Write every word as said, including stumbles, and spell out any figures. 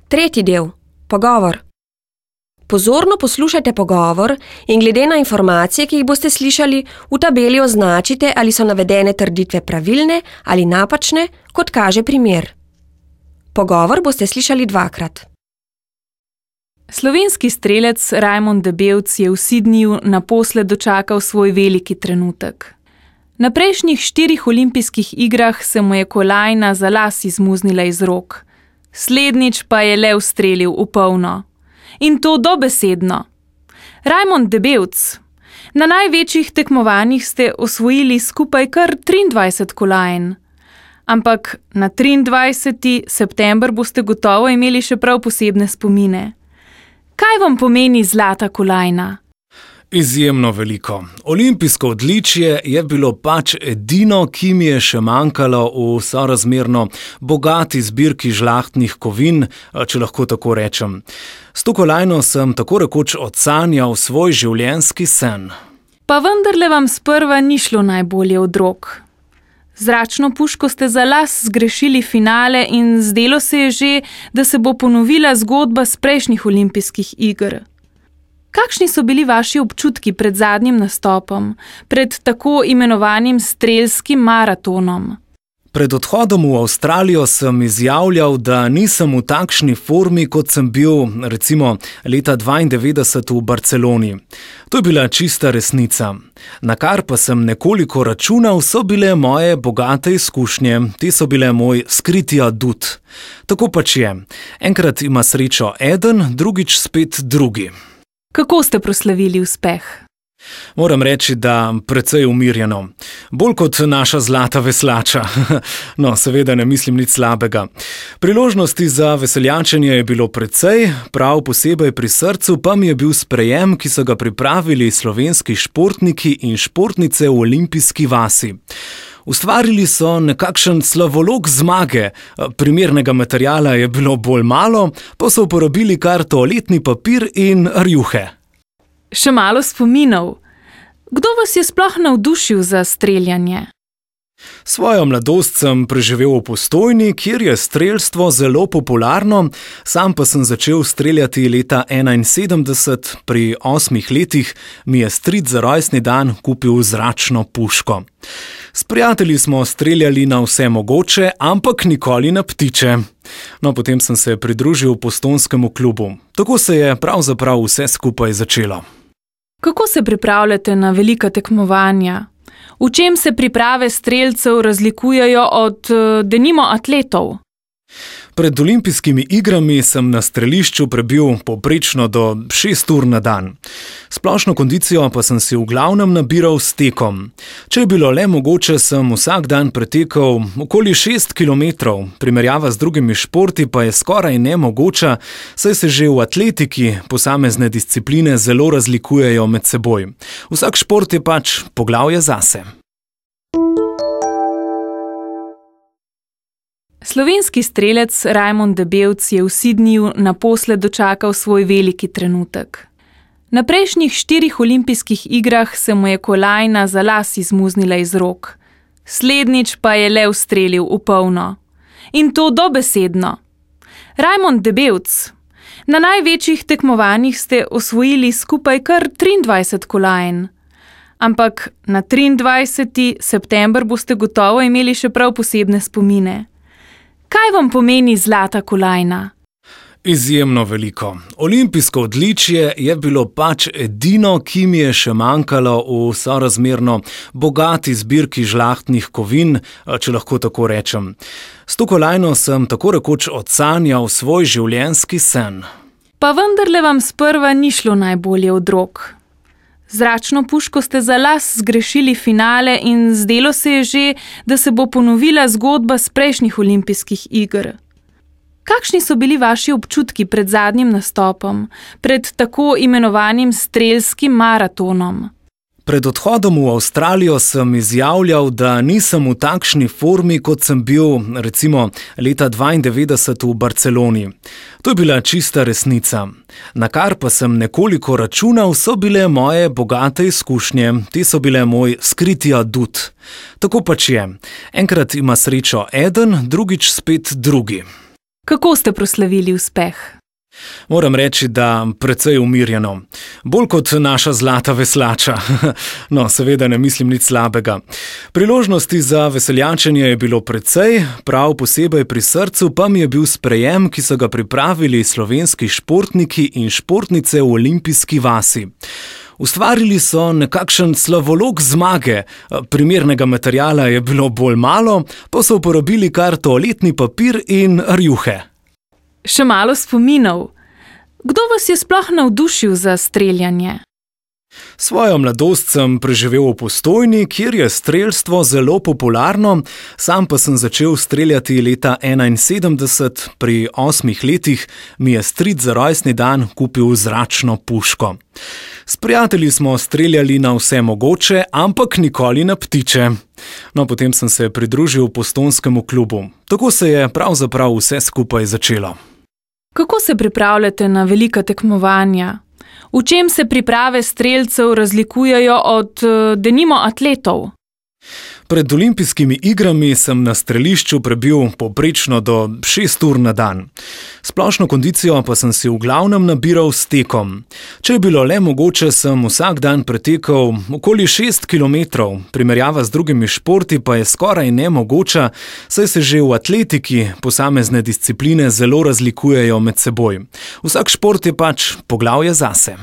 Tretji del. Pogovor. Pozorno poslušajte pogovor in glede na informacije, ki jih boste slišali, v tabeli označite, ali so navedene trditve pravilne ali napačne, kot kaže primer. Pogovor boste slišali dvakrat. Slovenski strelec Rajmond Debevc je v Sydneyju naposled dočakal svoj veliki trenutek. Na prejšnjih štirih olimpijskih igrah se mu je kolajna za las izmuznila iz rok. Slednjič pa je le ustrelil v polno. In to dobesedno. Rajmond Debevc, na največjih tekmovanjih ste osvojili skupaj kar triindvajset kolajn. Ampak na triindvajseti september boste gotovo imeli še prav posebne spomine. Kaj vam pomeni zlata kolajna? Izjemno veliko. Olimpijsko odličje je bilo pač edino, ki mi je še manjkalo v sorazmerno bogati zbirki žlahtnih kovin, če lahko tako rečem. S to kolajno sem tako rekoč odsanjal svoj življenjski sen. Pa vendarle vam sprva ni šlo najbolje od rok. Zračno puško ste za las zgrešili finale in zdelo se je že, da se bo ponovila zgodba z prejšnjih olimpijskih iger. Kakšni so bili vaši občutki pred zadnjim nastopom, pred tako imenovanim strelskim maratonom? Pred odhodom v Avstralijo sem izjavljal, da nisem v takšni formi, kot sem bil recimo leta dvaindevetdeset v Barceloni. To je bila čista resnica. Na kar pa sem nekoliko računal, so bile moje bogate izkušnje, te so bile moj skriti adut. Tako pač je. Enkrat ima srečo eden, drugič spet drugi. Kako ste proslavili uspeh? Moram reči, da precej umirjeno. Bolj kot naša zlata veslača. No, seveda ne mislim nič slabega. Priložnosti za veseljačenje je bilo precej, prav posebej pri srcu pa mi je bil sprejem, ki so ga pripravili slovenski športniki in športnice v olimpijski vasi. Ustvarili so nekakšen slavolog zmage, primernega materiala je bilo bolj malo, pa so uporabili kar toaletni papir in rjuhe. Še malo spominov. Kdo vas je sploh navdušil za streljanje? Svojo mladost sem preživel v Postojni, kjer je strelstvo zelo popularno, sam pa sem začel streljati leta enainsedemdeset, pri osmih letih mi je stric za rojstni dan kupil zračno puško. S prijatelji smo streljali na vse mogoče, ampak nikoli na ptiče. No, potem sem se pridružil postojnskemu klubu. Tako se je pravzaprav vse skupaj začelo. Kako se pripravljate na velika tekmovanja? V čem se priprave strelcev razlikujejo od, denimo, atletov? Pred olimpijskimi igrami sem na strelišču prebil povprečno do šest ur na dan. Splošno kondicijo pa sem si v glavnem nabiral s tekom. Če je bilo le mogoče, sem vsak dan pretekal okoli šest kilometrov, primerjava z drugimi športi pa je skoraj nemogoča, saj se že v atletiki posamezne discipline zelo razlikujejo med seboj. Vsak šport je pač poglavje zase. Slovenski strelec Rajmond Debevc je v Sydneyju naposled dočakal svoj veliki trenutek. Na prejšnjih štirih olimpijskih igrah se mu je kolajna za las izmuznila iz rok. Slednjič pa je le ustrelil v polno. In to dobesedno. Rajmond Debevc, na največjih tekmovanjih ste osvojili skupaj kar triindvajset kolajn. Ampak na triindvajseti september boste gotovo imeli še prav posebne spomine. Kaj vam pomeni zlata kolajna? Izjemno veliko. Olimpijsko odličje je bilo pač edino, ki mi je še manjkalo v sorazmerno bogati zbirki žlahtnih kovin, če lahko tako rečem. S to kolajno sem tako rekoč odsanjal svoj življenjski sen. Pa vendarle vam sprva ni šlo najbolje od rok. Zračno puško ste za las zgrešili finale in zdelo se je že, da se bo ponovila zgodba z prejšnjih olimpijskih iger. Kakšni so bili vaši občutki pred zadnjim nastopom, pred tako imenovanim strelskim maratonom? Pred odhodom v Avstralijo sem izjavljal, da nisem v takšni formi, kot sem bil recimo leta dvaindevetdeset v Barceloni. To je bila čista resnica. Na kar pa sem nekoliko računal, so bile moje bogate izkušnje, te so bile moj skriti adut. Tako pač je. Enkrat ima srečo eden, drugič spet drugi. Kako ste proslavili uspeh? Moram reči, da precej umirjeno. Bolj kot naša zlata veslača. No, seveda ne mislim nič slabega. Priložnosti za veseljačenje je bilo precej, prav posebej pri srcu pa mi je bil sprejem, ki so ga pripravili slovenski športniki in športnice v olimpijski vasi. Ustvarili so nekakšen slavolog zmage, primernega materiala je bilo bolj malo, pa so uporabili kar toaletni papir in rjuhe. Še malo spominov. Kdo vas je sploh navdušil za streljanje? Svojo mladost sem preživel v Postojni, kjer je strelstvo zelo popularno, sam pa sem začel streljati leta enainsedemdeset, pri osmih letih mi je stric za rojstni dan kupil zračno puško. S prijatelji smo streljali na vse mogoče, ampak nikoli na ptiče. No, potem sem se pridružil postojnskemu klubu. Tako se je pravzaprav vse skupaj začelo. Kako se pripravljate na velika tekmovanja? V čem se priprave strelcev razlikujejo od, denimo, atletov? Pred olimpijskimi igrami sem na strelišču prebil povprečno do šest ur na dan. Splošno kondicijo pa sem si v glavnem nabiral s tekom. Če je bilo le mogoče, sem vsak dan pretekal okoli šest kilometrov, primerjava z drugimi športi pa je skoraj nemogoča, saj se že v atletiki posamezne discipline zelo razlikujejo med seboj. Vsak šport je pač poglavje zase.